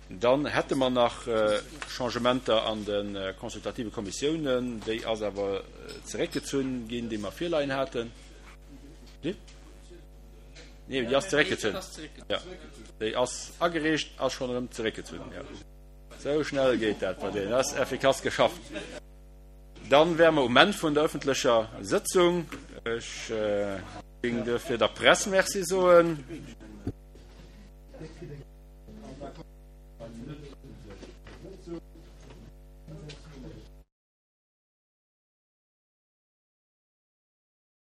Dann hätte mer nach Changementer an de consultative Kommissiounen. Déi ass awer zeréckgezunn ginn, déi mer virleien haten. Nee, déi ass zeréckgezunn. Jo, déi ass agereecht, ass schonn erëm zeréckgezunn. Jo, sou schnell geet dat bei deenen. Dat ass effikass geschafft. Dann wäre mer um Enn vun der öffentlecher Sëtzung. Ech géing duerfir der Press Merci soen.